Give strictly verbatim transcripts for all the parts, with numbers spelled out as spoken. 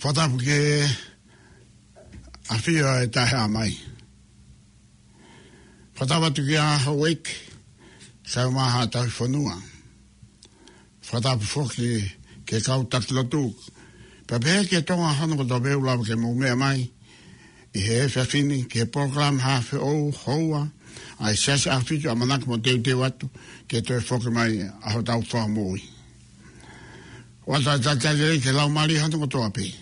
Fakatapu ki he ʻafio ʻa e Taʻehāmai. Fakatapu atu kia Houʻeiki, Kaumaha Tauhi Fonua. Fakatapu foki ki he kau taki lotu. Pea pehē ki he Tonga hono kotoa pē ʻoku lava ke mou meʻa mai ʻi he efiafi ni ki he polokalama Haʻa Feʻou Houa ʻa e Siasi ʻAhofitu, ʻamanaki mo teuteu atu ke toe foki mai ʻa hotau Fakamoʻui. ʻOatu ʻa e talitali lelei ki he laumālie hono kotoa pē ʻoku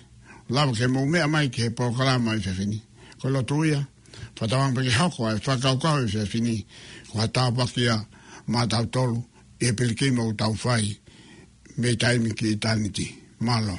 lava ke mou meʻa mai ki he polokalama ʻi he efiafi ni. Ko e lotu ia, fakatauange pē ke hoko ʻa e fakakaukau ʻi he efiafi ni ko ha tāpuaki ia maʻatautolu ʻi he pilikimi ʻoku tau fai mei taimi ki ʻitāniti. Mālō.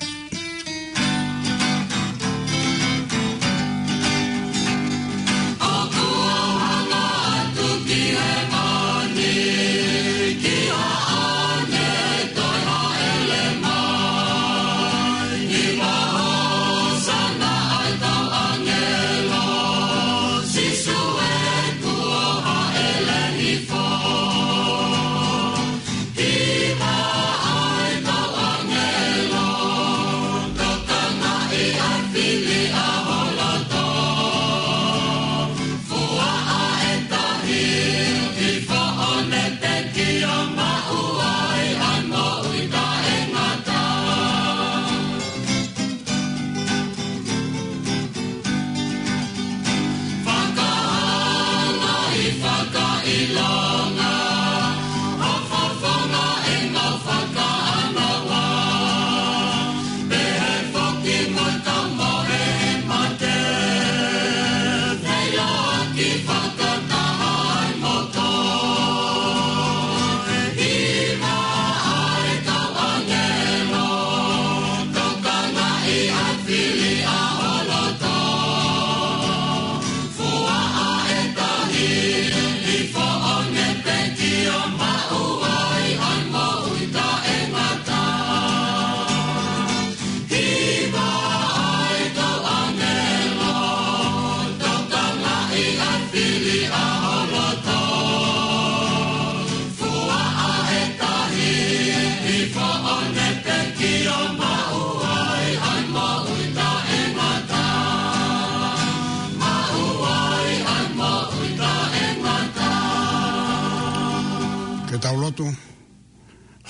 Ke tau lotu.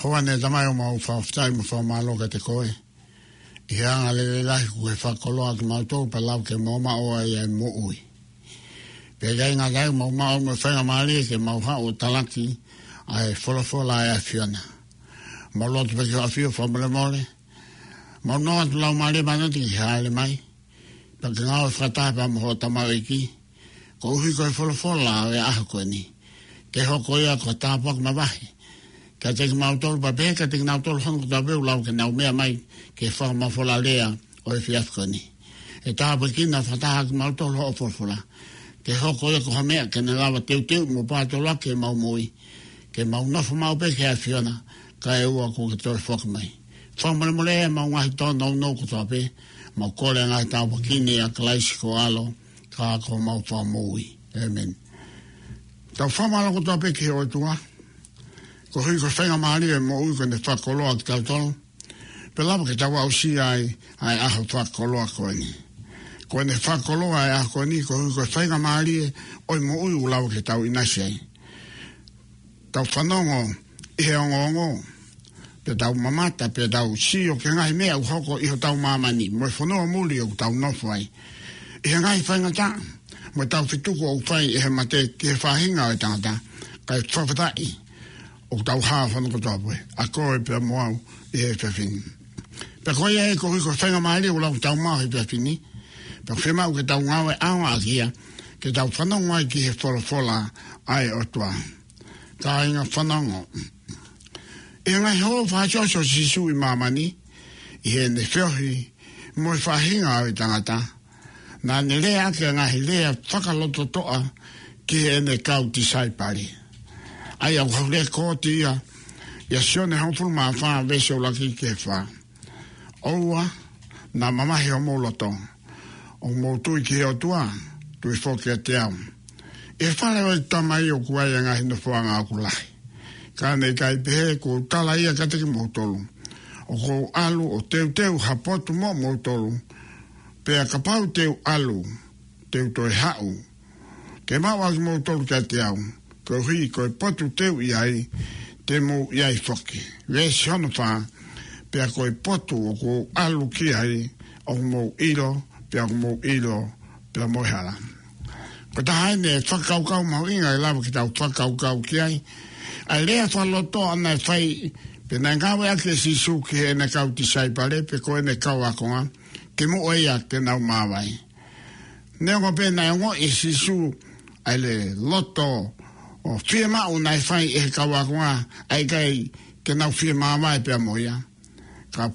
Houʻeiki Tamai, ʻoku mau fakafetaʻi mo fakamālō kiate koe ʻi he anga lelei lahi kuo ke fakakoloa kimautolu pea lava ke mau maʻu ai ʻa e moʻui. Pea ʻikai ngata ai, mau maʻu mo e faingamālie ke mau haʻu ʻo talaki ʻa e folofola ʻa e ʻAfiona. Mau lotu pē ki hoʻo ʻAfio fakamolemole. Mau nofo atu Laumālie Māʻoniʻoni ke ke hāʻele mai pea ke ngāue fakataha pea mo hoʻo tamaioʻeiki, koeʻuhi ko e folofola ʻo e ʻaho ko eni ke hoko ia ko e tāpuaki mavahe kiate kimautolu pea pehē kiate kinautolu hono kotoa pē ʻoku lava ke nau meʻa mai ki he fakamafola lea ʻo e efiafi ko eni. ʻE tāpuekina fakataha kimautolu hoʻo folofola ke hoko ia ko ha meʻa ke ne lava teuteu mo pātoloaki ʻemau moʻui, ke mau nofo maʻu pē ki he ʻAfiona kae ʻoua kuo ke toe foki mai. Fakamolemole ʻa ʻemau ngaahi tōnounou kotoa pē. Mau kole ʻa e ngaahi tāpuaki ni ʻia Kalaisi ko ho ʻAlo, ka ko homau Fakamoʻui. ʻĒmeni. Tau fakamālō kotoa pē ki he ʻOtua koeʻuhi ko e faingamālie ʻo e moʻui kuo ne fakakoloa kitautolu pea lava ke tau aʻusia ai ʻa e ʻaho fakakoloa ko eni. Kuo ne fakakoloa ʻa e ʻaho ko eni koeʻuhi ko e faingamālie ʻo e moʻui ʻoku lava ke tau ʻinasi ai. Tau fanongo ʻi he ongoongo, pea tau mamata, pea tau sio ki he ngaahi meʻa ʻoku hoko ʻi hotau māmani mo e fonua muli ʻoku tau nofo ai, ʻi he ngaahi faingataʻa mo e taufetuku ʻoku fai ʻe he mate ki he faʻahinga ʻo e tangata. Kae fakafetaʻi ʻoku tau hā hono kotoa pē, ʻa koe pea mo au ʻi he efiafi ni. Pea ko ia ai koeʻuhi ko e faingamālie ʻoku lava ke tau maʻu he efiafi ni, pea fiemaʻu ke tau ngāue ʻaonga ʻaki ia, ke tau fanongo ai ki he folofola ʻa e ʻOtua. Kāinga, fanongo. ʻI he ngaahi hō fakaʻosiʻosi ʻo Sīsū ʻi māmani, ʻi heʻene feohi mo e faʻahinga ʻo e tangata, naʻa ne lea ʻaki ʻa e ngaahi lea fakalototoʻa ki heʻene kau tisaipale, ʻa ia ʻoku lēkooti ia ʻia Sione hongofulu mā fā veesi ʻuluaki ki he fā. ʻOua naʻa mamahi homou loto. ʻOku mou tui ki he ʻOtua, tui foki kiate au. ʻI he fale ʻo ʻeku Tamai ʻoku ʻi ai ʻa e ngaahi nofoʻanga ʻoku lahi. Ka ne ʻikai pehē, kuo u tala ia kiate kimoutolu. ʻOku ou ʻalu ʻo teuteu ha potu moʻomoutolu. Pea kapau te u ʻalu, te u toe haʻu ke maʻu ʻa kimoutolu kiate au. Koeʻuhi ko e potu te u ʻi ai, te mou ʻi ai foki. Veesi hono fā, pea ko e potu ʻoku ou ʻalu ki ai, ʻoku mou ʻilo, pea ʻoku mou ʻilo, pea mo e hala. Ko e taha eni e fakakaukau mahuʻinga ʻe lava ke tau fakakaukau ki ai. ʻA e lea fakalotoʻa naʻe fai, pea naʻe ngāueʻaki ʻe Sīsū ki heʻene kau tisaipale, pe ko ʻene kau ākonga, kimuʻa ia ke nau māvae. Neongo pē naʻe ongoʻi ʻe Sīsū ʻa e loto ʻo fiemaʻu naʻe fai ʻe he kau ākonga, ʻa e ʻikai ke nau fiemāvae pea mo ia. Ka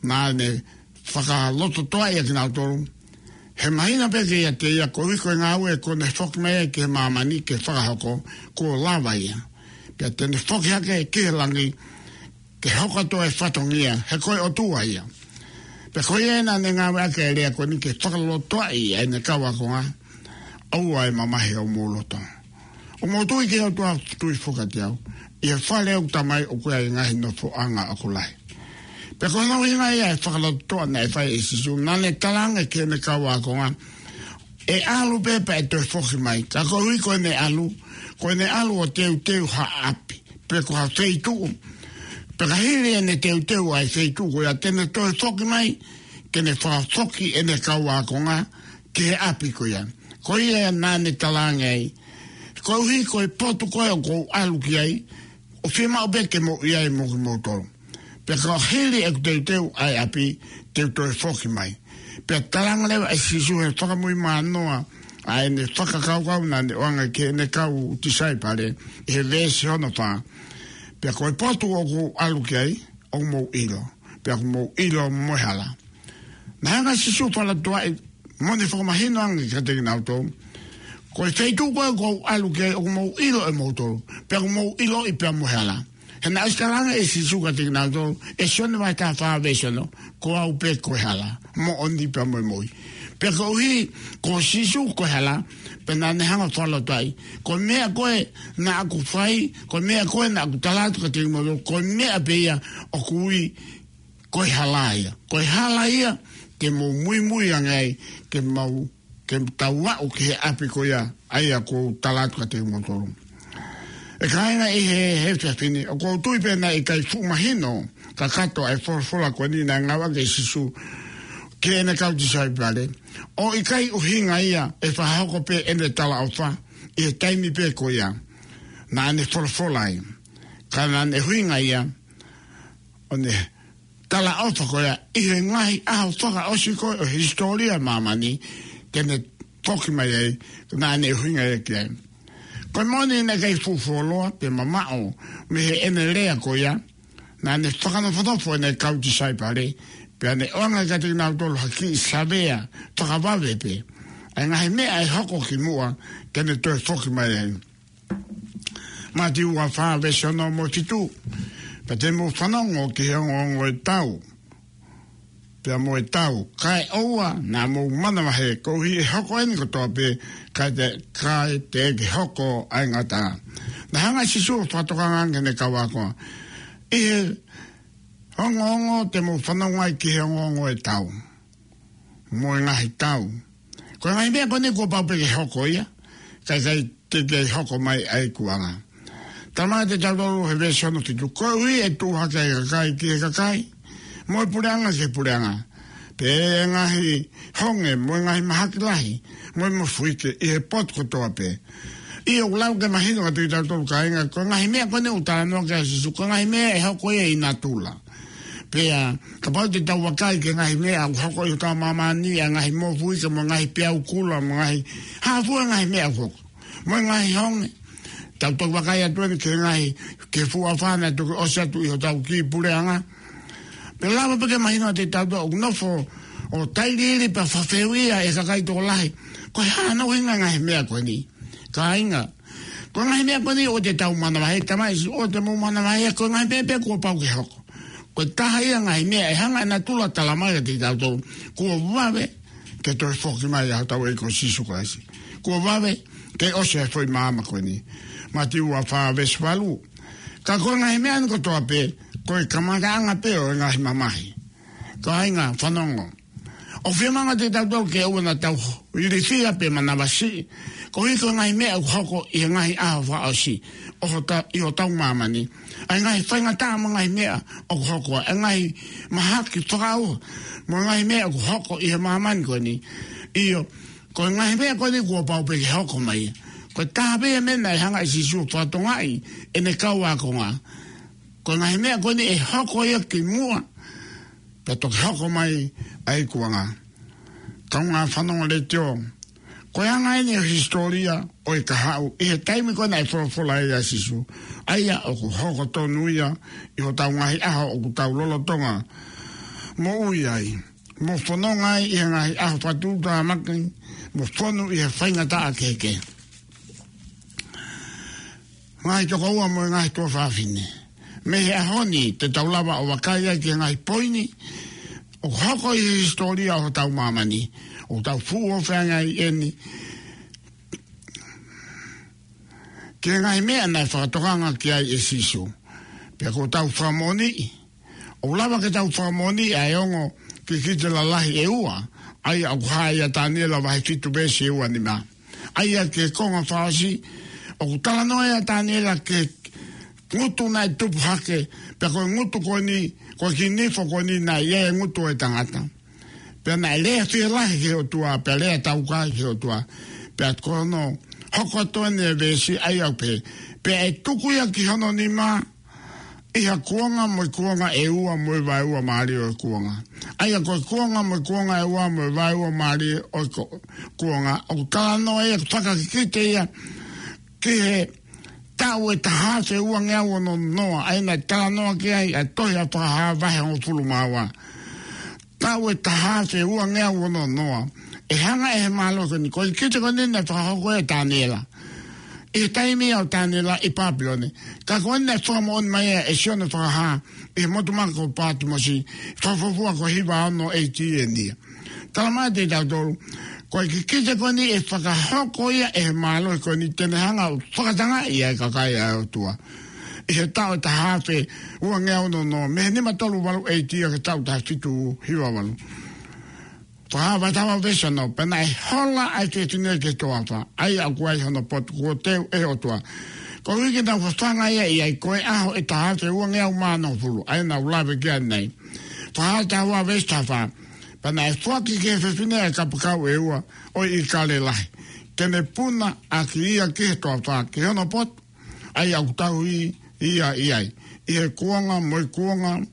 naʻa ne fakalototoʻa ia kinautolu. He mahino pē kiate ia koeʻuhi ko e ngāue kuo ne foki mai ai ki he māmani ke fakahoko, kuo lava ia. Pea te ne foki hake ki he langi, ke hoko atu e fatongia, he ko e ʻOtua ia. Pea ko ia naʻa ne ngāueʻaki e lea ko eni ke fakalotoʻaʻi ʻa ʻene kau ākonga, ʻoua ʻe mamahi homou loto. ʻOku mou tui ki he ʻOtua, tui foki kiate au. ʻI he fale ʻo ʻeku Tamai ʻoku ʻi ai e ngaahi nofoʻanga ʻoku lahi. Pea ko hono ʻuhinga ia e fakalototoʻa naʻe fai ʻe Sīsū, naʻa ne talaange ki heʻene kau ākonga, ʻe ʻalu pē pea ʻe toe foki mai. Ka koeʻuhi ko ʻene ʻalu, ko ʻene ʻalu ʻo teuteu ha ʻapi, pe ko ha feituʻu. Pea ka hili ʻene teuteu ʻa e feituʻu ko ia, te ne toe foki mai, ke ne fakafoki ʻene kau ākonga ki he ʻapi ko ia. Ko ia naʻa ne talaange ai, koeʻuhi ko e potu ko ē ʻoku ou ʻalu ki ai, ʻoku fiemaʻu pē ke mou ʻi ai mo kimoutolu. Pea ka hili ʻeku teuteu ʻa e ʻapi, te u toe foki mai. Pea talaange leva ʻe Sīsū he fakamuimui mānoa ʻa ʻene fakakaukau naʻa ne ʻoange ki heʻene kau tisaipale, ʻi he veesi hono fā. Pea ko e potu ʻoku ou ʻalu ki ai, ʻoku mou ʻilo. Pea ʻoku mou ʻilo mo e hala. Naʻe hanga ʻe Sīsū ʻo fakalototoʻaʻi mo ne fakamahino ange kiate kinautolu, ko e feituʻu ko ē ʻoku ou ʻalu ki ai ʻoku mou ʻilo ʻe moutolu, pea ʻoku mou ʻiloʻi pea mo e hala. He naʻe ʻosi talaange ʻe Sīsū kiate kinautolu, ʻe Sione vahe taha fā veesi ono, ko au pē ko e hala, moʻoni pea mo e moʻui. Pea koeʻuhi ko Sīsū ko e hala, pea naʻa ne hanga ʻo fakalototoʻaʻi, ko e meʻa ko ē naʻa ku fai, ko e meʻa ko ē naʻa ku tala atu kiate kimoutolu, ko e meʻa pē ia ʻoku ui ko e hala ia. Ko e hala ia te mou muimui ange ai ke mau, ke tau aʻu ki he ʻapi ko ia, ʻa ia ʻoku ou tala atu kiate kimoutolu. ʻE kāinga, ʻi he, he efiafi ni, ʻoku ou tui pē naʻe ʻikai fuʻu mahino kakato ʻa e folofola ko eni naʻe ngāueʻaki ʻe Sīsū ki heʻene kau tisaipale. ʻOku ʻikai ʻuhinga ia ʻe fakahoko pē ʻene talaʻofa ʻi he taimi pē ko ia naʻa ne folofola ai. Ka naʻa ne ʻuhinga ia ʻo ne talaʻofa ko ia ʻi he ngaahi ʻaho fakaʻosi ko ē ʻo e hisitōlia ʻo māmani, te ne foki mai ai, naʻa ne ʻuhinga ia ki ai. Ko e moʻoni naʻe ʻikai fuʻu fuoloa pe mamaʻo mei heʻene lea ko ia, naʻa ne fakanofonofo ʻene kau tisaipale, pea ne ʻoange kiate kinautolu ha kiʻi savea fakavave pē ʻa e ngaahi meʻa ʻe hoko kimuʻa ke ne toe foki mai ai. Mātiu vahe fā veesi ono mo e fitu. Pea te mou fanongo ki he ongoongo ʻo e tau, pea mo e tau, kae ʻoua naʻa mou manavahē, koeʻuhi ʻe hoko eni kotoa pē, kae te, kae teʻeki hoko ʻa e ngataʻanga. Naʻe hanga ʻe Sīsū ʻo fakatokanga ange ki heʻene kau ākonga, ʻi he ongoongo te mou fanongo ai ki he ongoongo ʻo e tau mo e ngaahi tau. Ko e ngaahi meʻa ko eni kuo pau pē ke hoko ia, kae ʻikai te ke hoko mai ʻa e ikuʻanga. Talamai kiate kitautolu he veesi hono fitu, koeʻuhi ʻe tuʻu hake ʻa e kakai ki he kakai, mo e puleʻanga ki he puleʻanga, pea ʻe ngaahi honge mo e ngaahi mahaki lahi mo e mofuike ʻi he potu kotoa pē. ʻIo, ʻoku lava ke mahino kiate kitautolu kāinga, ko e ngaahi meʻa ko eni ʻoku talanoa ki ai ʻa Sīsū, ko e ngaahi meʻa ʻe hoko ia ʻi natula. Pea kapau te tau vakai ki he ngaahi meʻa ʻoku hoko ʻi hotau māmani, ʻa e ngaahi mofuike mo e ngaahi peau kula mo e ngaahi hā fua e ngaahi meʻa ʻoku hoko, mo e ngaahi honge. Tau toki vakai atu eni ki he ngaahi, ki he fuʻu afā naʻe toki ʻosi atu ʻi hotau kiʻi puleʻanga. Pea lava pē ke mahino kiate kitautolu ʻoku nofo ʻo tailiili pea fakafehuʻia ʻe he kakai tokolahi, ko e hā hono ʻuhinga e ngaahi meʻa ko eni. Kāinga, ko e ngaahi meʻa ko eni ʻoua te tau manavahē, talamai ʻe Sīsū ʻoua te mou manavahē, ko e ngaahi meʻa pē kuo pau ke hoko. Ko e taha ia e ngaahi meʻa ʻe hanga ʻe natula ʻo talamai kiate kitautolu, kuo vave ke toe foki mai ʻa hotau ʻEiki ko Sīsū Kalaisi. Kuo vave ke ʻosi e foʻi maama ko eni. Mātiu ua fā veesi valu. Ka ko e ngaahi meʻa ni kotoa pē, ko e kamataʻanga pē ʻo e ngaahi mamahi. Kāinga, fanongo. ʻOku fiemaʻu ʻe tautolu ke ʻoua naʻa tau ilifia pe manavasiʻi, koeʻuhi ko e ngaahi meʻa ʻoku hoko ʻi he ngaahi ʻaho fakaʻosi ʻo hota-, ʻi hotau māmani. ʻA e ngaahi faingataʻa mo e ngaahi meʻa ʻoku hoko, ʻa e ngaahi mahaki fakaʻauha mo e ngaahi meʻa ʻoku hoko ʻi he māmani ko eni. ʻIo, ko e ngaahi meʻa ko eni kuo pau pē ke hoko mai. Ko e taha pē ia e meʻa naʻe hanga ʻe Sīsū ʻo fakatokangaʻi ʻene kau ākonga. Ko e ngaahi meʻa ko eni ʻe hoko ia kimuʻa, pea toki hoko mai ʻa e ikuʻanga. Kaungā fanongo letiō, ko e anga eni ʻo e hisitōlia ʻo e kahaʻu ʻi he taimi ko ē naʻe folofola ai ʻa Sīsū, ʻa ia ʻoku hoko tonu ia ʻi hotau ngaahi ʻaho ʻoku tau lolotonga moʻui ai, mo fononga ai ʻi he ngaahi ʻaho fakatuʻutāmaki, mo fonu ʻi he faingataʻa kehekehe. Ngaahi tokoua mo e ngaahi tuofāfine, mei he ʻaho ni te tau lava ʻo vakai ai ki he ngaahi poini ʻoku hoko ʻi he hisitōlia ʻo hotau māmani, ʻoku tau fuʻu ʻofeina ai eni ki he ngaahi meʻa naʻe fakatokanga ki ai ʻe Sīsū. Pea ʻoku tau fakamoʻoniʻi, ʻoku lava ke tau fakamoʻoniʻi ʻa e ongo kikite lalahi ʻe ua, ʻa ia ʻoku hā ʻia Taniela vahe fitu veesi ua nima. ʻA ia ki he konga fakaʻosi, ʻoku talanoa ʻia Taniela ki he ngutu naʻe tupu hake, pea ko e ngutu ko eni, ko e kiʻi nifo ko eni naʻe ʻi ai e ngutu ʻo e tangata. Pea naʻe lea fielahi ki he ʻOtua, pea lea taukae ki he ʻOtua. Pea ko hono hoko atu eni e veesi ʻa ia ʻoku pehē, pea ʻe tuku ia ki hono nima ʻi ha kuonga mo e kuonga ʻe ua mo e vaeua mālie ʻo e kuonga. ʻA ia ko e kuonga mo e kuonga ʻe ua mo e vaeua mālie ʻo e ko-, kuonga, ʻoku talanoa ia, fakakikite ia ki he taʻu ʻe taha afe uangeau ono noa, ʻa ia naʻe talanoa ki ai ʻa e tohi ʻa Fakahā vahe hongofulu mā ua. Taʻu ʻe taha afe uangeau ono noa. ʻE hanga ʻe he mālohi ko eni, ko e kikite ko eni naʻe fakahoko ʻe Taniela ʻi he taimi ʻo Taniela ʻi Papilone. Ka ko eni naʻe fakamoʻoni mai ʻe Sione Fakahā ʻi he motu maka ko Pātimosi, fakafuofua ko e hiva ono A D eni ia. Talamai ʻe tautolu, ko e kikite ko eni ʻe fakahoko ia ʻe he mālohi ko eni te ne hanga ʻo fakatangaʻi ʻa e kakai ʻa e ʻOtua ʻi he taʻu ʻe taha afe uangeau ono noa, mei he nima tolu valu A D ki he taʻu taha fitu hiva valu. Fakahā vahe taha ua veesi ono, pea naʻe hola ʻa e fefine ki he toafa, ʻa ia ʻoku ʻi ai hono potu kuo teu ʻe he ʻOtua, koeʻuhi ke nau fafanga ia ʻi ai, ko e ʻaho ʻe taha afe uangeau mā nofulu, ʻa ia naʻa ku lave ki ai ʻanenai. Fakahā taha ua veesi taha fā, pea naʻe foaki ki he fefine ʻa e kapakau ʻe ua ʻo e ʻīkale lahi, ke ne puna ʻaki ia ki he toafa, ki hono potu, ʻa ia ʻoku tauhi ia ʻi ai, ʻi he kuonga mo e kuonga,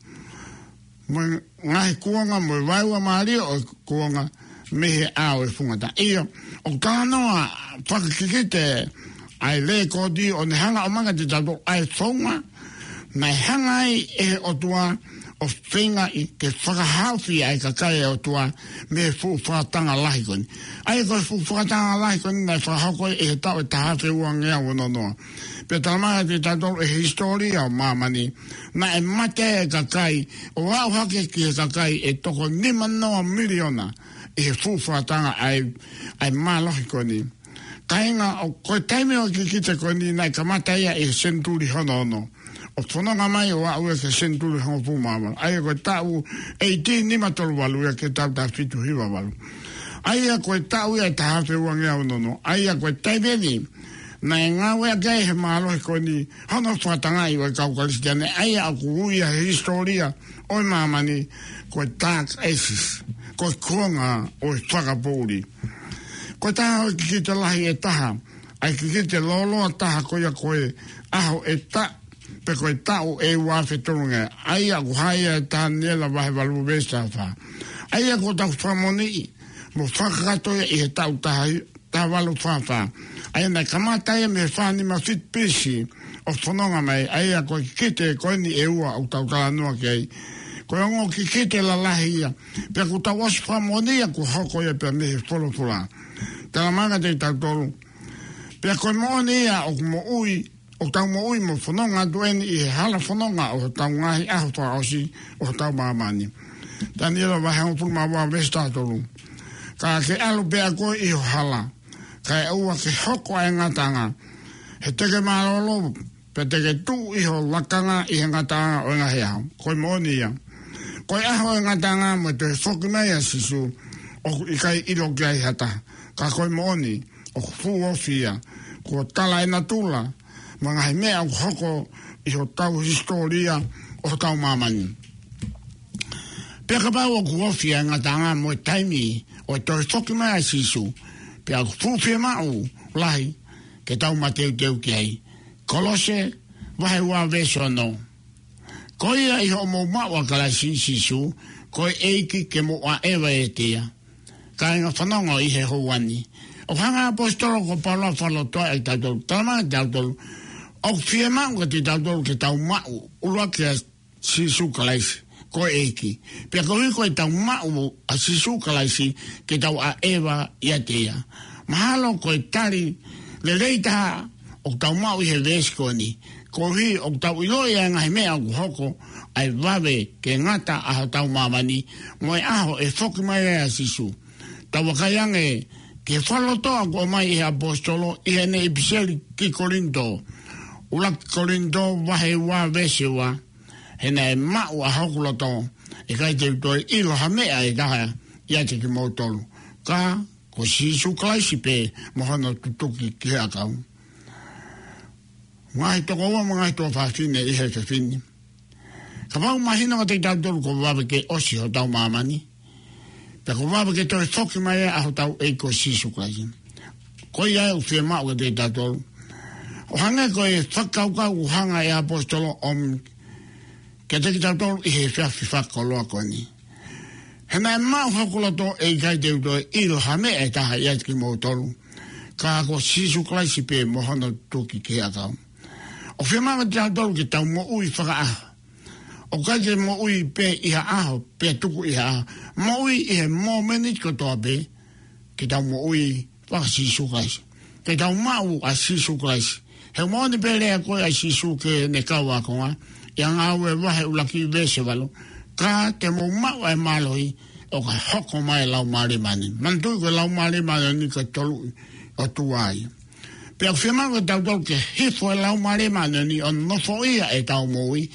mo e ngaahi kuonga mo e vaeua mālie ʻo e kuonga mei he ʻao ʻo e funga taʻa. ʻIo, ʻoku talanoa fakakikite ʻa e lēkooti ʻo ne hanga ʻo ʻomai kiate tautolu ʻa e founga naʻe hanga ai ʻe he ʻOtua ʻo feingaʻi ke fakahaofi ʻa e kakai ʻa e ʻOtua mei he fuʻu fakatanga lahi ko eni. ʻA ia ko e fuʻu fakatanga lahi ko eni naʻe fakahoko ʻi he taʻu ʻe taha afe uangeau ono noa. Pea talamai ʻe tautolu ʻe he hisitōlia ʻo māmani, naʻe mate ʻa e kakai, ʻo aʻu hake ki he kakai ʻe toko nima noa miliona ʻi he fuʻu fakatanga ʻa e, ʻa e mālohi ko eni. Kāinga, ʻo ko e taimi ʻo e kikite ko eni naʻe kamata ia ʻi he senituli hono ono, ʻo fononga mai ʻo aʻu ia ki he senituli hongofulu mā valu. ʻA ia ko e taʻu A D nima tolu valu ia ki he taʻu taha fitu hiva valu. ʻA ia ko e taʻu ia ʻe taha afe uangeau ono noa. ʻA ia ko e taimi eni naʻe ngāueʻaki ai ʻe he mālohi ko eni hono fakatangaʻi ʻo e kau Kalisitiane, ʻa ia ʻoku ui ʻe he hisitōlia ʻo e māmani ko e Dark Ages, ko e kuonga ʻo e fakapoʻuli. Ko e taha ʻo e kikite lahi ʻe taha, ʻa e kikite lōloa taha ko ia ko e ʻaho ʻe taʻu, pe ko e taʻu ʻe ua afe tolungeau, ʻa ia ʻoku hā ia ʻia Taniela vahe valu veesi taha fā. ʻA ia ʻoku tau fakamoʻoniʻi mo fakakakato ia ʻi he taʻu taha, taha valu fā fā. ʻA ia naʻe kamata ia mei he fā nima fitu B C ʻo fononga mai, ʻa ia ko e kikite ko eni ʻe ua ʻoku tau talanoa ki ai. Ko e ongo kikite lalahi ia, pea ʻoku tau ʻosi fakamoʻoni ia kuo hoko ia pea mei he folofola. Talamai ʻe tautolu, pea ko e moʻoni ia ʻoku moʻui, ʻoku tau moʻui mo fononga atu eni ʻi he hala fononga ʻo hotau ngaahi ʻaho fakaʻosi ʻo hotau māmani. Taniela vahe hongofulu mā ua veesi taha tolu. Ka ke ʻalu pē ʻa koe ʻi ho hala, kae ʻoua ke hoko ʻa e ngataʻanga, he te ke mālōlō, pea te ke tuʻu ʻi ho lakanga ʻi he ngataʻanga ʻo e ngaahi ʻaho. Ko e moʻoni ia. Ko e ʻaho ʻo e ngataʻanga mo e toe foki mai ʻa Sīsū, ʻoku ʻikai ʻilo ki ai ha taha. Ka ko e moʻoni, ʻoku fuʻu ofi ia. Kuo tala ʻe natula, mo e ngaahi meʻa ʻoku hoko ʻi hotau hisitōlia ʻo hotau māmani. Pea kapau ʻoku ofi ʻa e ngataʻanga mo e taimi ʻo e toe foki mai ʻa Sīsū, pea ʻoku fuʻu fiemaʻu lahi ke tau mateuteu ki ai. Kolose, vahe ua veesi ono. Ko ia ʻi hoʻomou maʻu ʻa Kalaisi Sīsū, ko e ʻEiki, ke mou ʻaʻeva ʻiate ia. Kāinga, fanongo ʻi he houa ni. ʻOku hanga ʻe he ʻaposetolo ko Paula ʻo fakalotoa ʻa kitautolu. Talamai kiate kitautolu, ʻoku fiemaʻu kiate kitautolu ke tau maʻu ʻuluaki ʻa Sīsū Kalaisi ko e ʻEiki. Pea koeʻuhi ko ʻetau maʻu ʻa Sīsū Kalaisi, ke tau ʻaʻeva ʻiate ia. Mahalo ko e tali lelei taha ʻoku tau maʻu ʻi he veesi ko eni. Koeʻuhi ʻoku tau ʻiloʻi ʻa e ngaahi meʻa ʻoku hoko, ʻa e vave ke ngata ʻa hotau māmani, mo e ʻaho ʻe foki mai ai ʻa Sīsū. Tau vakai ange ki he fakalotoa ʻoku ʻomai ʻe he ʻaposetolo ʻi heʻene ʻipiseli ki Kolinitō. ʻUluaki Kolinitō vahe ua veesi ua. He naʻe maʻu ʻa hoku loto, ʻe ʻikai te u toe ʻilo ha meʻa ʻe taha ʻiate kimoutolu, ka ko Sīsū Kalaisi pē mo hono tutuki ki he ʻakau. Ngaahi tokoua mo e ngaahi tuofāfine ʻi he efiafi ni. Kapau ʻoku mahino kiate kitautolu kuo vave ke ʻosi hotau māmani, pea kuo vave ke toe foki mai ʻa hotau ʻEiki ko Sīsū Kalaisi. Ko ia ʻoku fiemaʻu kiate kitautolu. ʻO hangē ko e fakakaukau ʻoku hanga ʻe he ʻaposetolo ʻo ʻomi kiate kitautolu ʻi he efiafi fakakoloa ko eni. He naʻe maʻu ʻa hoku loto, ʻe ʻikai te u toe ʻilo ha meʻa ʻe taha ʻiate kimoutolu, ka ko Sīsū Kalaisi pē mo hono tutuki ki he ʻakau. ʻOku fiemaʻu kiate kitautolu ke tau moʻui fakaʻaho. ʻOku ʻikai ke moʻui pē ʻi ha ʻaho, pea tuku ʻi ha ʻaho. Moʻui ʻi he mōmeniti kotoa pē, ke tau moʻui faka-Sīsū Kalaisi. Ke tau maʻu ʻa Sīsū Kalaisi. He moʻoni pē lea ko ē ʻa Sīsū ki heʻene kau ākonga, ʻi he Ngāue vahe ʻuluaki veesi valu. Ka te mou maʻu ʻa e mālohi, ʻo ka hoko mai ʻa e Laumālie Māʻoniʻoni. Manatuʻi ko e Laumālie Māʻoniʻoni ko e tolu ʻOtua ia. Pea ʻoku fiemaʻu kiate kitautolu ke hifo ʻa e Laumālie Māʻoniʻoni ʻo nofoʻia ʻetau moʻui,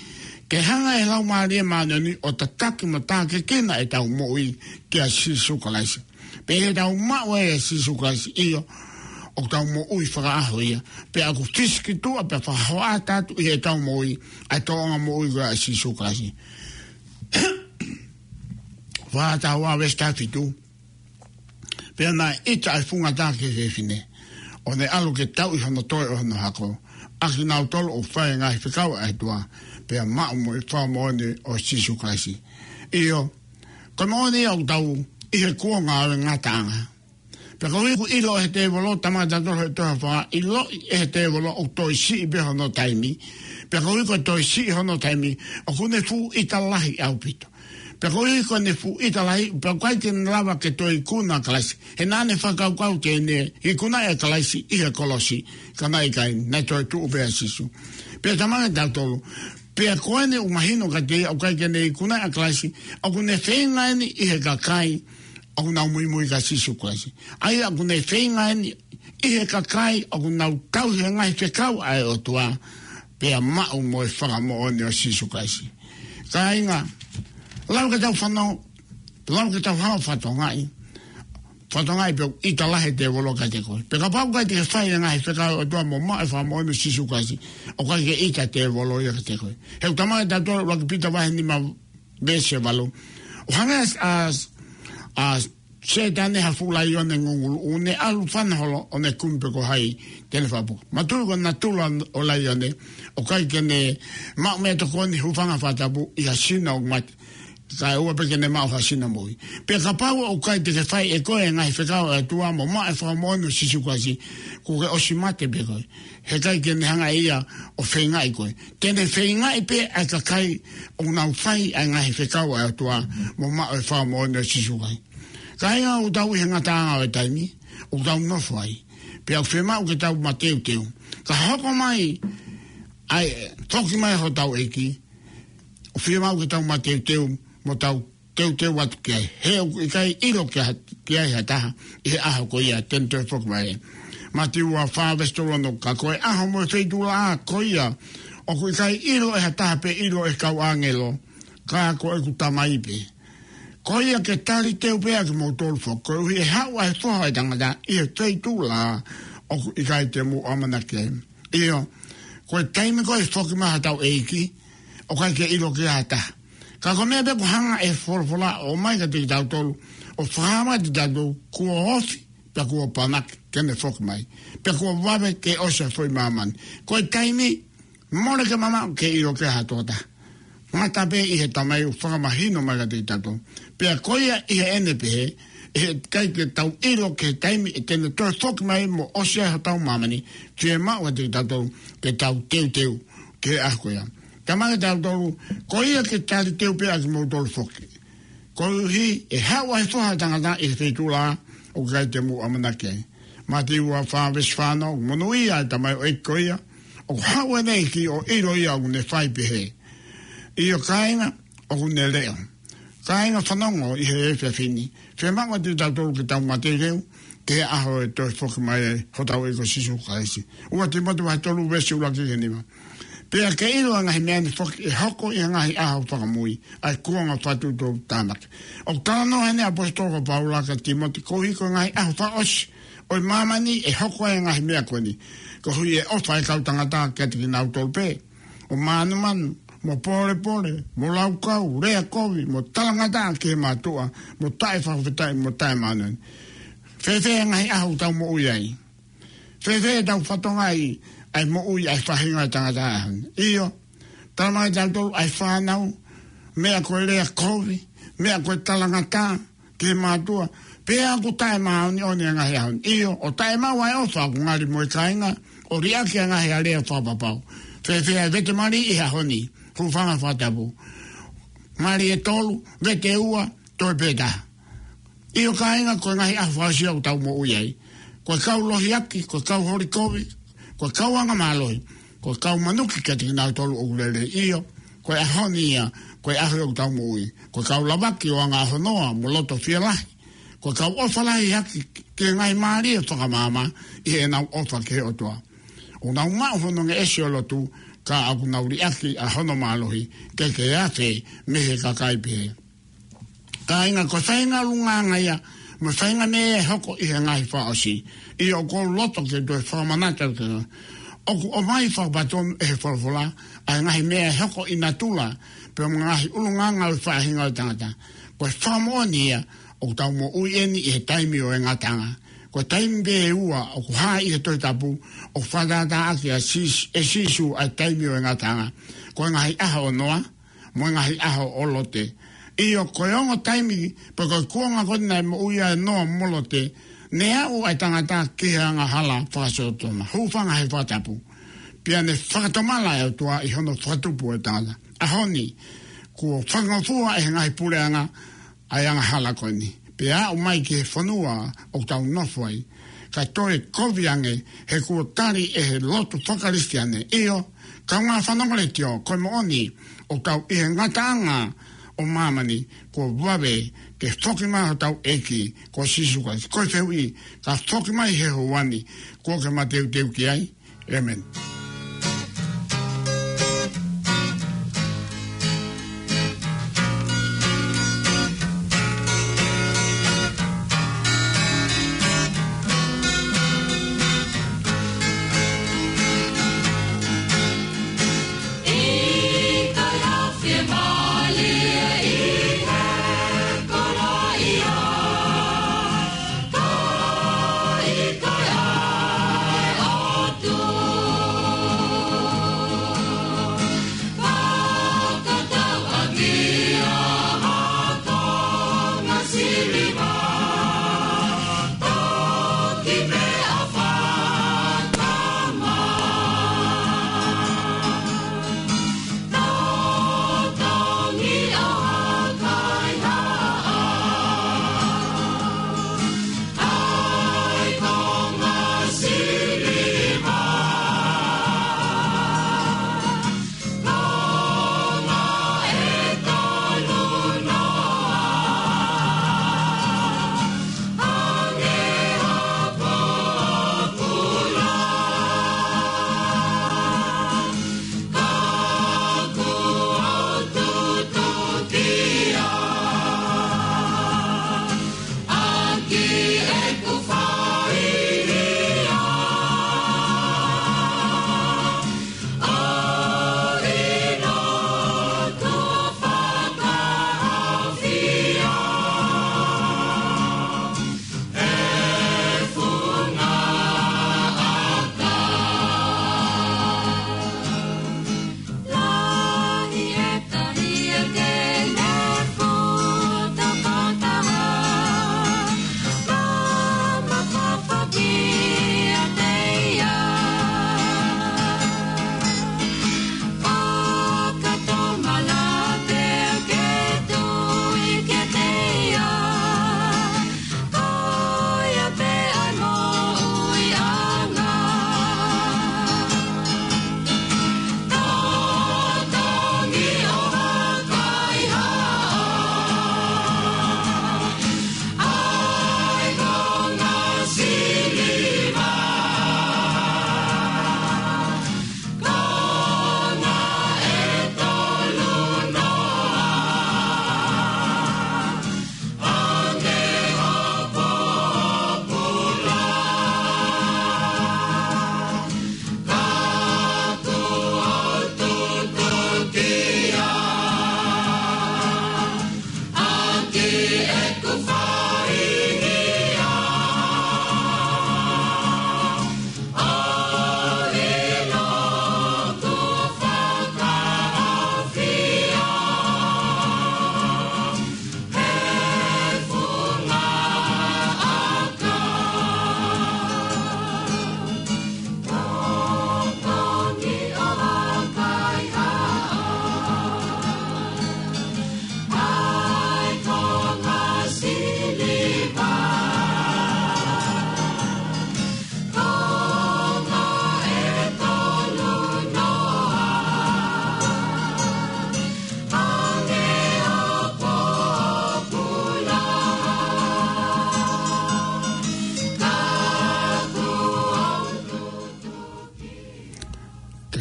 ke hanga ʻe he Laumālie Māʻoniʻoni ʻo tataki mo tākiekina ʻetau moʻui kia Sīsū Kalaisi. Pea ʻi heʻetau maʻu ʻa Sīsū Kalaisi, ʻio, ʻoku tau moʻui fakaʻaho ia. Pea ʻoku fisikituʻa pea fakahoʻata atu ʻi heʻetau moʻui ʻa e tōʻonga moʻui ko ia ʻa Sīsū Kalaisi. Fakahā taha ua veesi taha fitu. Pea naʻe ʻita ʻa e funga taha ki he fefine, ʻo ne ʻalu ke tauʻi hono toe ʻo hono hako, ʻa kinautolu ʻoku fai e ngaahi fekau ʻa e ʻOtua, pea maʻu mo e fakamoʻoni ʻo Sīsū Kalaisi. ʻIo, ko e moʻoni ia ʻoku tau ʻi he kuonga ʻo e ngataʻanga. Pea koeʻuhi kuo ʻilo ʻe he tēvolo, talamai kiate kitautolu ʻe he tohi Fakahā, ʻiloʻi ʻe he tēvolo ʻoku toe siʻi pē hono taimi. Pea koeʻuhi ko e toe siʻi hono taimi, ʻoku ne fuʻu ʻita lahi ʻaupito. Pea koeʻuhi ko ʻene fuʻu ʻita lahi, pea ʻoku ʻikai ke ne lava ke toe ikuna ʻa Kalaisi. He naʻa ne fakakaukau te ne ikunaʻi ʻa Kalaisi ʻi he kolosi, ka naʻe ʻikai, naʻe toe tuʻu pē ʻa Sīsū. Pea talamai kiate kitautolu, pea ko eni ʻoku mahino kiate ia ʻoku ʻikai ke ne ikunaʻi ʻa Kalaisi, ʻoku ne feinga eni ʻi he kakai ʻoku nau muimui kia Sīsū Kalaisi. ʻA ia ʻoku ne feinga eni ʻi he kakai ʻoku nau tauhi e ngaahi fekau ʻa e ʻOtua, pea maʻu mo e fakamoʻoni ʻo Sīsū Kalaisi. Kāinga, lau ke tau fanongo, lau ke tau hao fatongaʻi. Fatongaʻi pe ʻoku ʻita lahi e tēvolo kiate koe. Pe kapau ʻoku ʻikai te ke fai e ngaahi fekau ʻa e ʻOtua mo maʻu e fakamoʻoni ʻo Sīsū Kalaisi, ʻoku ʻikai ke ʻita e tēvolo ia kiate koe. He ʻoku talamai kiate kitautolu ʻUluaki Pita vahe nima veesi valu. ʻO hangē ʻa, ʻa Sētane ha fuʻu laione ngungulu, ʻoku ne ʻalu fana holo ʻo ne kumi pe ko hai te ne fakapuke. Manatuʻi ko e natula ʻo e laione, ʻoku ʻikai ke ne maʻu meʻatokoni, hūfanga he fakatapu ʻi ha sino ʻoku mate. Kae ʻoua pē ke ne maʻu ha sino moʻui. Pea kapau ʻoku ʻikai te ke fai ʻe koe e ngaahi fekau ʻa e ʻOtua mo maʻu e fakamoʻoni ʻo Sīsū Kalaisi, kuo ke ʻosi mate pē koe. He ʻikai ke ne hanga ʻe ia ʻo feingaʻi koe. Te ne feingaʻi pē ʻa e kakai ʻoku nau fai ʻa e ngaahi fekau ʻa e ʻOtua mo maʻu e fakamoʻoni ʻo Sīsū Kalaisi. Kāinga, ʻoku tau ʻi he ngataʻanga ʻo e taimi ʻoku tau nofo ai. Pea ʻoku fiemaʻu ke tau mateuteu. Ka hoko mai ʻa e foki mai hotau ʻEiki, ʻoku fiemaʻu ke tau mateuteu mo tau teuteu atu ki ai. He ʻoku ʻikai ʻilo ki ha, ki ai ha taha ʻi he ʻaho ko ia te ne toe foki mai. Mātiu ua fā veesi tolu ono, ka ko e ʻaho mo e feituʻulaʻā ko ia, ʻoku ʻikai ʻilo ʻe ha taha pe ʻilo ʻe he kau ʻāngelo, ka ko ʻeku Tamai pē. Ko ia ke taliteu pē ʻa kimoutolu foki, koeʻuhi ʻe haʻu ʻa e Foha ʻo e Tangata ʻi he feituʻulaʻā ʻoku ʻikai te mou ʻamanaki ai. ʻIo, ko e taimi ko ē ʻe foki mai ai hotau ʻEiki, ʻoku ʻikai ke ʻilo ki ai ha taha. Ka ko e meʻa pē ʻoku hanga ʻe he folofola ʻo ʻomai kiate kitautolu, ʻo fakahā mai kiate kitautolu, kuo ofi, pea kuo panaki ke ne foki mai, pea kuo vave ke ʻosi ʻa e foʻi māmani. Ko e taimi, mole ke mamaʻo ke ʻilo ki ai ha tokotaha. Ngata pē ʻi he Tamai ʻoku fakamahino mai kiate kitautolu. Pea ko ia ʻi heʻene pehē, ʻe ʻikai ke tau ʻilo ki he taimi ʻe te ne toe foki mai mo ʻosi ai hotau māmani, fiemaʻu kiate kitautolu ke tau teuteu ki he ʻaho ko ia. Talamai kiate kitautolu, ko ia ke taliteu pē ʻa kimoutolu foki, koeʻuhi ʻe haʻu ʻa e Foha ʻo e Tangata ʻi he feituʻulaʻā ʻoku ʻikai te mou ʻamanaki ai. Mātiu ua fā veesi fā ono, monūʻia ʻa e tamaioʻeiki ko ia ʻoku haʻu ʻene ʻEiki, ʻo ʻilo ia ʻoku ne fai pehē. ʻIo kāinga, ʻoku ne leʻo. Kāinga, fanongo ʻi he efiafi ni, fiemaʻu kiate kitautolu ke tau mateuteu ki he ʻaho ʻe toe foki mai ai hotau ʻEiki ko Sīsū Kalaisi. Ua Tīmote vahe tolu veesi ʻuluaki ki he nima. Pea ke ʻilo ʻa e ngaahi meʻa ni foki ʻe hoko ʻi he ngaahi ʻaho fakamui, ʻa e kuonga fakatuʻutāmaki. ʻOku talanoa heni ʻa e ʻaposetolo ko Paula kia Tīmote koeʻuhi ko e ngaahi ʻaho fakaʻosi ʻo e māmani ʻe hoko ai e ngaahi meʻa ko eni, koeʻuhi ʻe ʻofa ʻa e kau tangata kiate kinautolu pē, ʻo mānumanu, mo pōlepole, mo laukau, lea kovi, mo talangataʻa ki he mātuʻa, mo taʻefakafetaʻi, mo taʻemāʻoniʻoni. Fēfē e ngaahi ʻaho ʻoku tau moʻui ai? Fēfē ʻetau fatongia ʻi he moʻui ʻa e faʻahinga ʻo e tangata ʻaho ni? ʻIo, talamai kiate kitautolu ʻa e fānau, meʻa ko e lea kovi, meʻa ko e talangataʻa ki he mātuʻa, pea ʻoku taʻemāʻoniʻoni e ngaahi ʻaho ni. ʻIo, ʻo taʻemaʻu ʻa e ʻofa ʻoku ngali mo e kāinga, ʻo liʻaki ʻa e ngaahi alea fakapapau. Fēfē ʻa e vete mali ʻi he ʻaho ni? Hūfanga he fakatapu. Mali ʻe tolu, vete ʻe ua, toe pē taha. ʻIo kāinga, ko e ngaahi ʻaho fakaʻosi ʻoku tau moʻui ai. Ko e kau lohiaki, ko e kau holi kovi, ko e kau angamālohi, ko e kau manuki kiate kinautolu ʻoku lelei. ʻIo, ko e ʻaho ni ia, ko e ʻaho ʻoku tau moʻui. Ko e kau lavaki ʻo anga ʻaho noa mo loto fielahi, ko e kau ʻofa lahi hake ki he ngaahi mālie fakamaama ʻi heʻenau ʻofa ki he ʻOtua. ʻOku nau maʻu hono ngeʻesi ʻo e lotu, ka ʻoku nau liʻaki ʻa hono mālohi ke ke afe mei he kakai pehē. Kāinga, ko e faʻahinga ʻulungaanga ia mo e faʻahinga meʻa ʻe hoko ʻi he ngaahi fakaʻosi. ʻIo, ʻoku ou loto ke toe fakamanatu atu ki ai. ʻOku ʻomai fakapatonu ʻe he folofola ʻa e ngaahi meʻa ʻe hoko ʻi natula, pea mo e ngaahi ʻulungaanga ʻo e faʻahinga ʻo e tangata. Ko e fakamoʻoni ia, ʻoku tau moʻui eni ʻi he taimi ʻo e ngataʻanga. Ko e taimi pē ʻe ua ʻoku hā ʻi he Tohi Tapu, ʻoku fakatātā ʻaki ʻe Sīs-, ʻe Sīsū ʻa e taimi ʻo e ngataʻanga. Ko e ngaahi ʻaho ʻo Noa, mo e ngaahi ʻaho ʻo Lote. ʻIo, ko e ongo taimi, pe ko e kuonga ko ē naʻe moʻui ai ʻa Noa mo Lote, ne aʻu ʻa e tangata ki he angahala fakasōtoma. Hūfanga he fakatapu. Pea ne fakatomala ʻa e ʻOtua ʻi hono fakatupu ʻo e tangata. ʻAho ni, kuo fakangofua ʻe he ngaahi puleʻanga ʻa e angahala ko eni, pea aʻu mai ki he fonua ʻoku tau nofo ai. Ka toe kovi ange, he kuo tali ʻe he lotu faka-Kalisitiane. ʻIo, kaungā fanongo letiō, ko e moʻoni, ʻoku tau ʻi he ngataʻanga ʻo māmani, kuo vave ke foki mai hotau ʻEiki ko Sīsū Kalaisi. Ko e fehuʻi, ka foki mai he houa ni, kuo ke mateuteu ki ai? ʻĒmeni.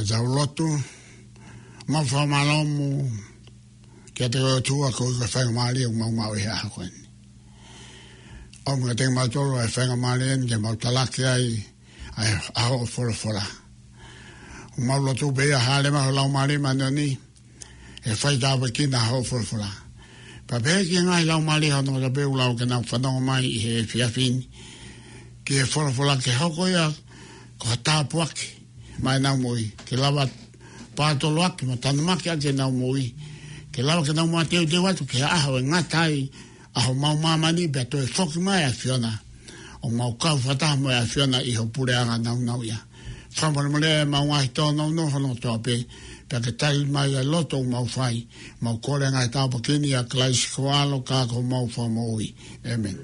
Tau lotu. Mau fakamālō mo kiate koe ʻOtua koeʻuhi ko e faingamālie ʻoku mau maʻu ʻi he ʻaho ko eni. ʻOmi kiate kimautolu ʻa e faingamālie ni ke mau talaki ai ʻa e, ʻa hoʻo folofola. ʻOku mau lotu pē ia hāʻele mai ho Laumālie Māʻoniʻoni, ʻe fai tāpuekina hoʻo folofola. Pea pehē ki he ngaahi laumālie ʻo hotau ngaahi pē ʻoku lau ke nau fanongo mai ʻi he efiafi ni ki he folofola, ke hoko ia ko ha tāpuaki maʻa ʻenau moʻui, ke lava pātoloaki mo tanumaki ʻaki ʻenau moʻui, ke lava ke nau mateuteu atu ki he ʻaho ʻe ngata ai ʻa homau māmani pea toe foki mai ʻa e ʻAfiona ʻo mau kau fakataha mo e ʻAfiona ʻi ho puleʻanga nāunauʻia. Fakamolemole ʻemau ngaahi tōnounou hono kotoa pē, pea ke tali mai ʻa e lotu ʻoku mau fai. Mau kole ngaahi tāpuaki ni ʻia Kalaisi ko ho ʻAlo ka ko homau Fakamoʻui. ʻĒmeni.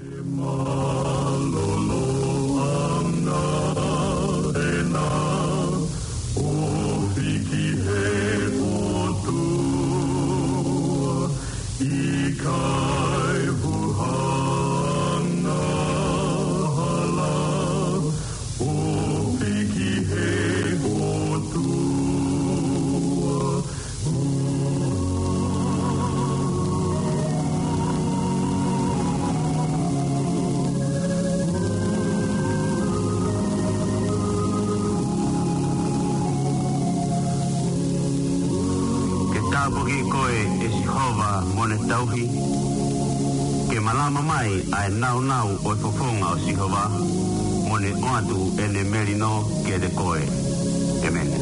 ʻIkai huhanga hala, ʻofi ki he ʻOtua. Ke tāpuaki koe ʻe Sihova mo ʻene tauhi. Ke malama mai ʻa e nāunau ʻo e fofonga ʻo Sihova, mo ne ʻoatu ʻene melino kiate koe. ʻĒmeni.